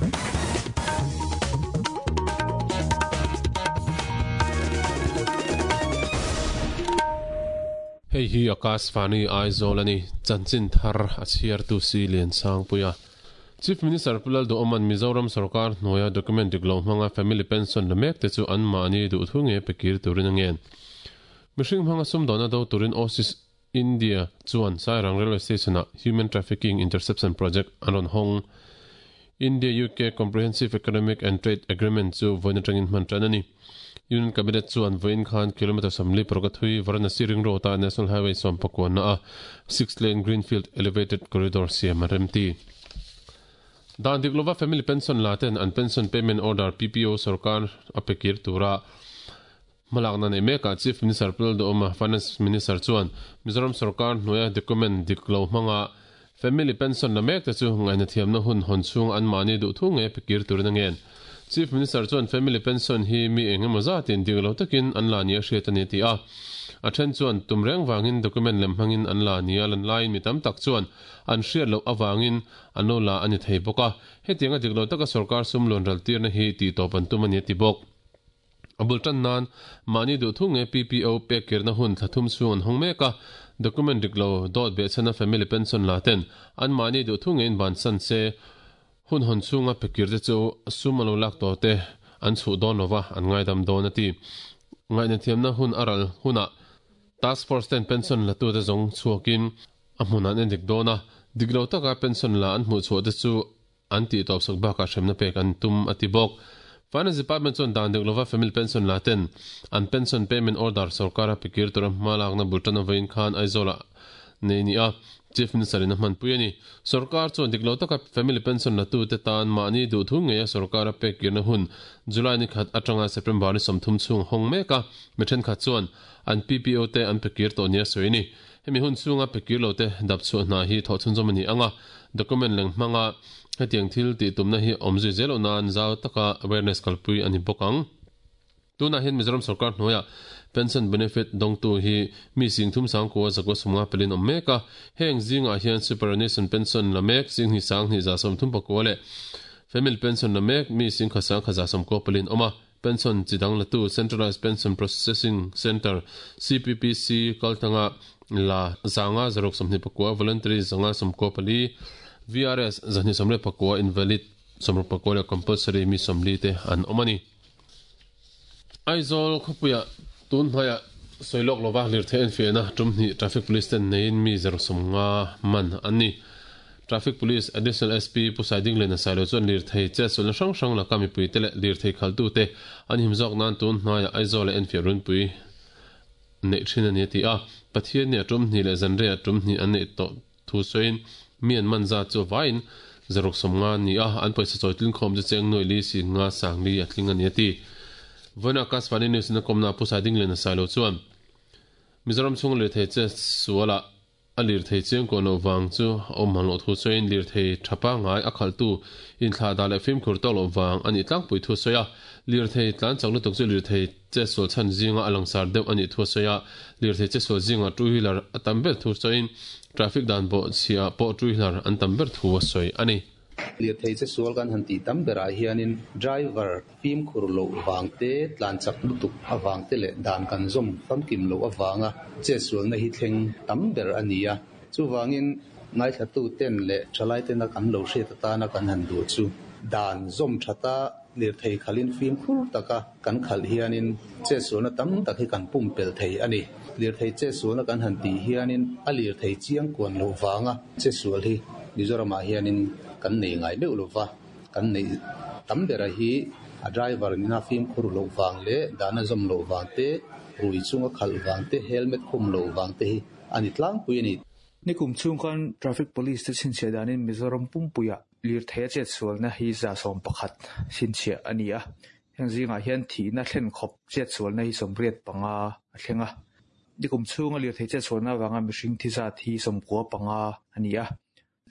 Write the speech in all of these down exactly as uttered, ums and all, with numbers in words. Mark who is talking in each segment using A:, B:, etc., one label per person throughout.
A: Hei hi Akashvani Aizawl ani chanchin thar a chhiar tu si lian sang puia Chief Minister Pulal do Oman Mizoram Sarkar hnuaia document dik lo hmanga family pension la mek te chu an mahni duh thu nge pekir turin a ngen. Mihring hmanga sumdawna do turin Oasis India chuan Sairang Railway Station ah Human Trafficking Interception Project an rawn hawng. India U K Comprehensive Economic and Trade Agreement chu vawiin atangin hman tan a ni. Union Cabinet chuan vawiin khan kilometer sawmli paruk a thui Varanasi Ring Road ah National Highway sawm pakuanna a six lane Greenfield Elevated Corridor siam a remti. Dan dik lova family pension la ten an pension payment order P P O sarkar a pekir tura hmalakna nei mekah Chief Minister Pulal Duhoma Finance Minister chuan Mizoram sarkar hnuaia document dik lo hmanga family pension la mek te chu ngaihna thiamna hun hawn chhung an mahni duh thu nge pekir turin a ngen. Chief Minister chuan family pension hi mi engemaw zatin dik lo takin an la nia hriat a ni ti a. A then chuan tum reng wangin document lem hmangin an la nia lan laiin mi tam tak chuan an hriat loh awangin an lo la a ni thei bawk a. Hetiang a dik lo taka sarkar sum loan ral tirna hi tih tawp an tum a ni ti bawk. A bul tan nan mahni duh thu nge P P O pek kirna hun thlathum chhung an hawng mek a. Document dik lo dawt beh chhana family pension la ten an mahni duh thu nge in ban san se hun hawn chhunga pekir te chu sum a lo lak tawh te an chhuh dawn lova an ngaidam dawn a ti. Ngaihna thiamna hun a ral hunah Task Force ten pension la tu te zawng chhuakin a hmun an en dik dawn a. Dik lo taka pension la an hmuh chhuah te chu an tih tawp sak bakah hremna pek an tum a ti bawk. Finance Department chuan dan dik lova family pension la ten an pension payment order sarkara pekir tura hma lakna bul tan a vawiin khan Aizawlah nei ni a. Chief Minister in a hman pui a ni. Sarkar chuan dik lo taka family pension la tu te tan mahni duh thu ngei a sarkara pek kirna hun July ni khat atanga September ni sawmthum chhung hawng mek a. Mi thenkhat chuan an P P O te an pekir tawh nia sawi ni. Hemi hun chhunga pekir lo te dap chhuah hna hi thawh chhunzawm a ni anga. Document leng hmanga hetiang thil tih tumna hi awm zui zel loh nan zau taka awareness kalpui a ni bawk ang. Tunah hian Mizoram sarkar hnuaiah pension benefit dawngtu hi mi sing thum sang kua zakua sawmnga pelin awm mek a. Heng zingah hian superannuation pension la mek sing hnih sang hnih za sawm thum pakua leh family pension la mek mi sing kha sang kha za sawm kua pelin awm a. Pension chidang latu Centralized Pension Processing Center C P P C kaltanga la zanga zaruk sawmhnih pakua voluntary zanga sawmkua pali V R S zahnih sawmle pakua invalid sawmruk pakua leh compulsory mi sawmli te an awm a ni. Aizawl khawpuia tun hnuaiah sawilawk lova lirthei an fiahna tum hnih traffic police ten neiin mi zaruk sawmnga man an ni. Traffic Police Additional S P Pu Saiding Lena Sailo chuan lirthei che sulna hrang hrang laka mipui te leh lirthei khaltu te an him zawk nan tun hnuaiah Aizawl leh enfiah runpui neih thin a ni a ti a. Pathian ni a tum hnih leh zanrei a tum hnih an neih tawh thu sawiin mi an man zat chu vaiin zaruk sawmnga ni a, an pawisa chawi tlin khawm chu cheng nuai li si nga sang li a tling a ni a ti. Vawiin Akashvani News in a kawmna Pu Saiding Lena Sailo chuan Mizoram chhung lirthei che sualah a lirthei chiang kuah loh vang chu a awm hman loh thu sawiin lirthei tha pangngai a khalhtu inthlah dah leh fimkhur tawk loh vang a nih tlangpui thu a sawi a. Lirthei tlan chak lutuk chu lirthei che sual chhan zinga a langsar deuh a nih thu a sawi a. Lirthei che sual zinga two wheeler a tam ber thu sawiin traffic dan bawh chhiah pawh two wheeler an tam ber thu a sawi a ni.
B: Lirthei che sual kan han tih tam berah hianin driver fimkhur loh vang te, tlan chak lutuk avang te leh dan kan zawm famkim loh avanga che sualna hi thleng tam ber a ni a. Chuvangin ngaithlatu ten leh thalai tena kan lo hriat atana kan han duh chu dan zawm thata lirthei khalin fimkhur taka kan khalh hianin che sualna tam tak hi kan pumpel thei a ni. Lirthei che sualna kan han tih hianin a lirthei chiang kuan loh vanga che sual hi Mizoramah hianin kan nei ngai meuh lova kan nei tam bera hi a driver nina fimkhur loh vang leh dana zawm loh vang te, rui chunga khalh vang te, helmet khum loh vang te hi a ni tlangpui a ni.
C: Nikum chhung khan traffic police te chhinchhiah danin Mizoram pumpuia lirthei a chet sualna hi za sawm pakhat chhinchhiah a ni a. Heng zingah hian thihna thlen khawp chet sualna hi sawmriat panga a thleng a. Nikum chhunga lirthei chet sualna avanga mihring thi zat hi sawmkua panga a ni a.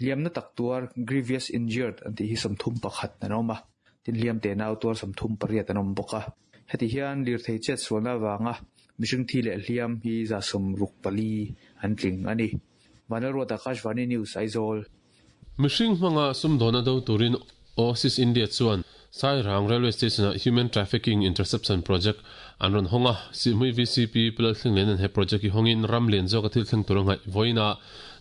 C: Liamna tak tuar grievous injured an tih hi sawmthum pakhat an awm a. Tin hliam te nau tuar sawmthum pariat an awm bawk a. Heti hian lirthei chet sualna avanga mihring thi leh hliam hi za sawmruk pali an tling a ni. Vanlalruat Akashvani News Aizawl.
A: Mihring hmanga sumdawna do turin Oasis India chuan Sairang Railway Station a Human Trafficking Interception Project an rawn hawng a, Sihhmui V C P Pu Lalthlenglen he project hi hawngin ram lian zawk a thil thleng tur a ngaih vawiin a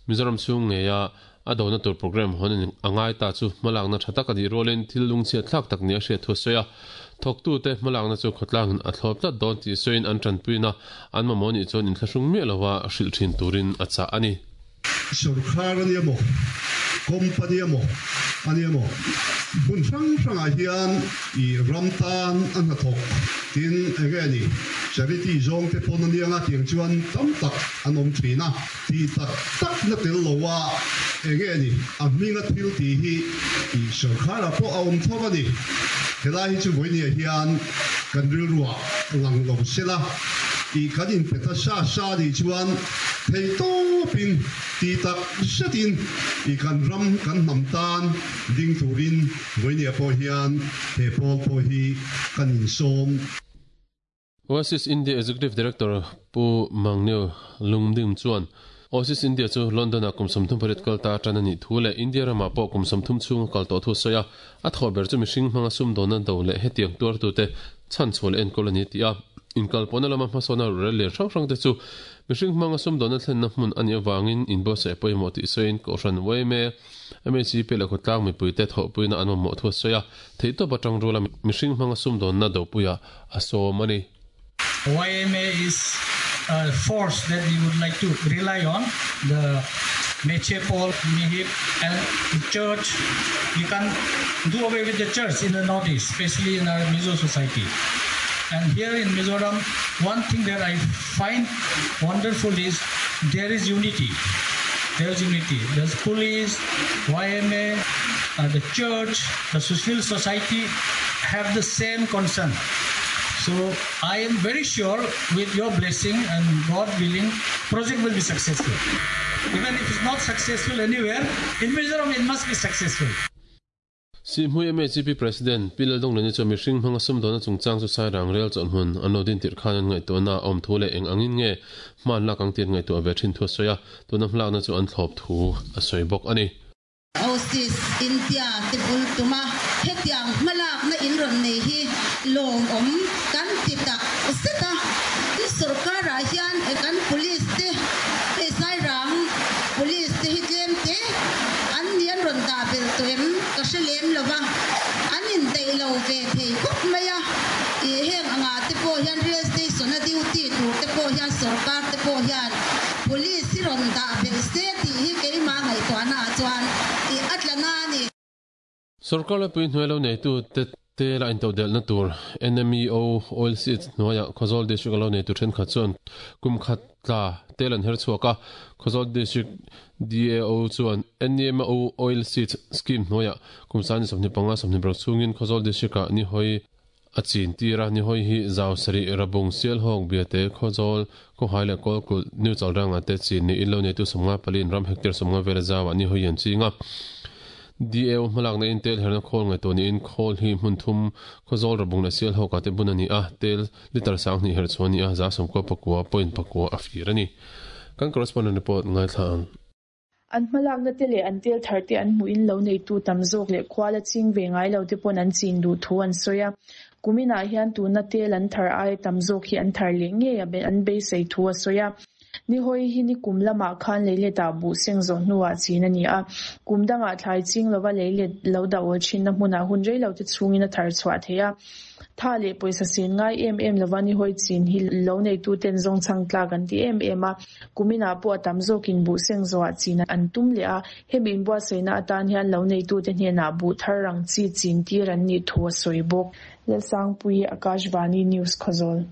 A: Mizoram chhung ngeia a dona tur program hawn a ngai ta chu hmalakna tha tak a nih rualin thil lungchhiat thlak tak ni a hriat thu a sawi a. Thawktu te hmalakna chu khawtlangin a thlawp tlat dawn tih sawiin an tanpuina an mamawh nih chuan inthlahrung miah lova hrilh thin turin a chah a ni.
D: Sarkar ani emaw, company emaw ani emaw, hmun hrang hrangah hian i ram tan a hnathawk tin enge ni charity zawng te pawn anianga tiang chuan tam tak an awm thin a, ti tak tak na tel loa enge ni a hminga thil ti hi i sarkara pawh a awm tho ani. Helai hi chu vawinia hian kan rilruah lang lo sela, i kan in peta sa sa ni chuan thei tawpin ti tak zetin i kan ram kan hnam tan ding turin vawinia pawh hian he pawl pawh hi kan insawm.
A: Oasis India Executive Director Pu Mangneo Lungdim chuan Oasis India chu London a kum sawmthum pariat kal ta tan ani thu leh India rama pawh kum sawmthum chhung kal tawh thu sawi a, a thaw ber chu mihring hmanga sum dawna do leh hetiang tuar tu te chan chhuah leh enkawl ani ti a. Inkal pawhna lama hmasawna rel lian hrang hrang te chu mihring hmanga sum dawna thlenna hmun ani awangin inbuatsaih pawimawh tih sawiin Kohhran, Y M A, M H P leh khawtlang mipui te thawhpuina an mamawh thu a sawi a, theihtawp atang rula mihring hmanga sum dawnna dopuia a sawm ani.
E: Y M A is a force that we would like to rely on. The Meche Pawl, Mihip, and the church. We can do away with the church in the northeast, especially in our Mizo society. And here in Mizoram, one thing that I find wonderful is there is unity. There is unity. There's police, Y M A, uh, the church, the civil society have the same concern. So I am very sure with your blessing and God willing, project will be successful. Even if it's not successful anywhere, in Mizoram it must be successful.
A: Sihhmui M H P President Pi Laldonglani chu mihring hmanga sum dawna chungchang chu Sairang rel chawlhmun an lo din tirh khan an ngaihtuahna awm thu leh eng angin nge hman lak ang tir ngaihtuah ve thin thu a sawi a, tuna hmalakna chu an thlawp thu a sawi bawk ani.
F: Oasis India te bul tuma hetiang hmalak na in ron nei hi lawm awm kan ti tak zeta. Sarkar ah hian e kan police te hei Sairang police te hi tlem te an nian ron da bel toem ka hre lem lova, an in dei lo ve thei khawp mai a. I heng anga te pawh hian rail station a duty tur te pawh hian sarkar te pawh hian police hi ron da bel se ti hi keima ngaihtuahna ah chuan i atlana ni.
A: Sarkar la pui hnuai lo nei tu te te la into del na tur N M E O oil seeds hnuaia Khawzawl District lo nei tu then khat chuan kum khat tla telan her chhuaka. Khawzawl District D A O chuan N M O oil seeds scheme hnuaia kum sani sawmhnih panga sawmhnih paruk chhungin Khawzawl District ah ni hoi a chin tira. Ni hoi hi zau sari Rabung, Sialhawk, Biate, Khawzawl, Khawhai leh Kawlkulh, New Chalranga te chin ni in lo nei tu sawmnga palin ram hectare sawmnga vela zawa ni hoi an chinga. D A O hmalak na in tel herna khawl ngai to ni in khawl hi hmun thum Khawzawl, Rabung leh Sialhawk te bun ani a, tel liter sang ni her chuan ni a za sawmkua pakua point pakua a fir ani. Kan correspondent report ngai thlang.
G: An hmalak na te leh an tel thar te an hmuh in lo nei tu tam zawk leh khuala ching ve ngai lo te pawn an chin duh thu an sawi a. Kuminah hian tuna tel an thar ai tam zawk hi an thar leh ngei a an beisei thu a sawi a. Ni hoi hi ni kum lamah khan leiletah buh seng zawh hnuah chin ani a. Kum dangah thlai ching lova leilet lo dah awl thin na hmunah hun rei lo te chhungin a thar chhuah thei a. Tha leh pawisa sen ngai em em lova ni hoi chin hi lo nei tu ten zawng chang tlak an ti em em a. Kuminah pawh a tam zawkin buh seng zawhah chin an tum leh a. Hemi inbuatsaihna atan hian lo nei tu te hnenah buh thar rang chi chin tir an nih thu a sawi bawk. Lalsangpui, Akashvani News, Khawzawl.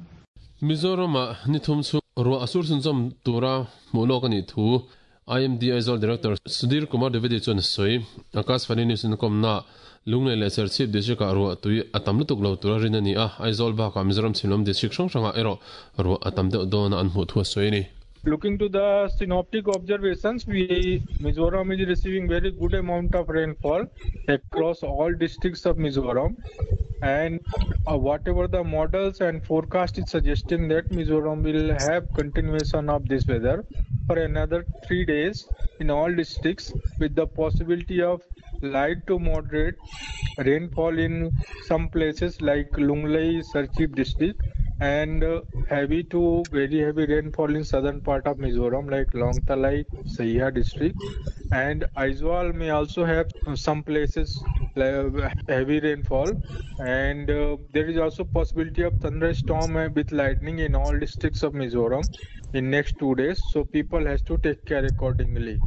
A: Mizoram ah ni thum chu ruah a sur chhunzawm tura hmuh lawk ani thu I M D Aizawl Director Sudhir Kumar Dwivedi chuan a sawi. Akashvani News in kawmna Lunglei leh Serchhip District ah ruah tui a tam lutuk lo tura rin ani a. Aizawl bakah Mizoram chhimlam district hrang hrangah erawh ruah a tam deuh dawn a an hmuh thu a sawi ani.
H: Looking to the synoptic observations, we Mizoram is receiving very good amount of rainfall across all districts of Mizoram, and uh, whatever the models and forecast is suggesting that Mizoram will have continuation of this weather for another three days in all districts, with the possibility of light to moderate rainfall in some places like Lunglei, Serchhip district, and uh, heavy to very heavy rainfall in southern part of Mizoram like Lawngtlai, Saiha district, and Aizawl may also have some places like heavy rainfall, and uh, there is also possibility of thunderstorm with lightning in all districts of Mizoram in next two days, so people has to take care accordingly.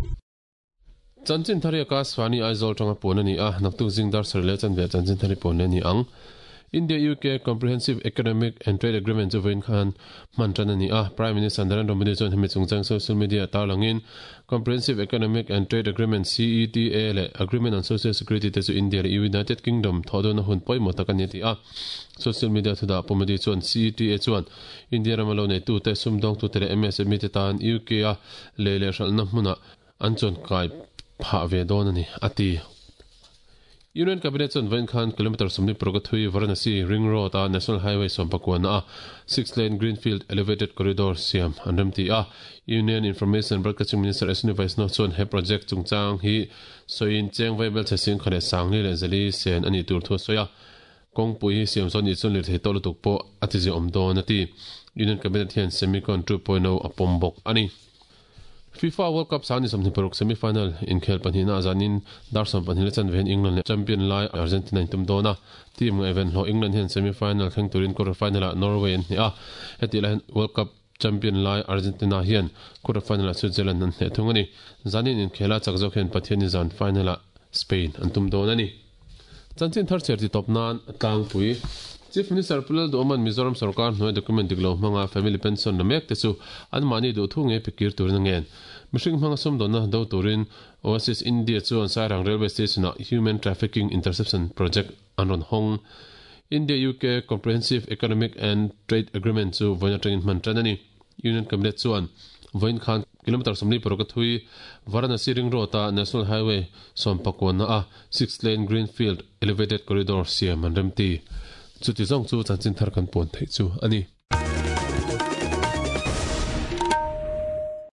A: Chanchin thari Akashvani Aizawl tanga pon ani a naktuk zingdar sarle chan ve chanchin thari pon ani ang India U K Comprehensive Economic and Trade Agreement chu vein khan man tan ani a Prime Minister Narendra Modi chuan hemi chungchang social media tarlangin Comprehensive Economic and Trade Agreement C E T A le Agreement on Social Security te chu India le United Kingdom thodona hun poimo takani ti a social media thuda pomodi chuan C E T A chuan India ramalo nei tu te sumdong tu te le M S M E te tan U K a le le hral na hmuna an chuan kai pha ve don ani ati Union Cabinet chuan vein khan kilometer sawmni paruk thui Varanasi Ring Road a National Highway sawmpakua a six lane Greenfield Elevated Corridor siam an remti a Union Information Broadcasting Minister Ashwini Vaishnaw chuan he project chungchang hi soin cheng vai bel chesing khare sangli le zali sen ani tur thu soya kongpui hi siam chuan ni chuan lir thei tawh lutuk pawh a ti ziawm dawn ati Union Cabinet hian Semicon two point oh a pawm bawk ani FIFA World Cup sani somni paruk semi-final inkhel panhina azanin dar som panhina chan ven England champion lai Argentina in tum dona team nga event ho England hian semi-final thleng turin quarter final a Norway an hne a heti lai World Cup champion lai Argentina hian quarter final a Switzerland an hne thung ani zanin inkhela chakzok hian Pathian zan final a Spain an tum dona ni chanchin thar cher ti top nan tlangpui Chief Minister Pu Lalduhoma'n Mizoram Sarkar hnuai document diklo hmanga family pension la mek te chu an mahni duh thu nge pikir turin a ngen mihring hmanga sumdawnna do turin Oasis India chuan Sairang Railway Station a Human Trafficking Interception Project an rawn hawng India U K Comprehensive Economic and Trade Agreement chu vawiin atangin hman tan ani Union Cabinet chuan vawiin khan kilometer sawmli paruk a thui Varanasi Ring Road a National Highway sawmpakuana a six lane Greenfield Elevated Corridor siam an remti chuti zawng chu chanchin thar kan pawn theih chu ani.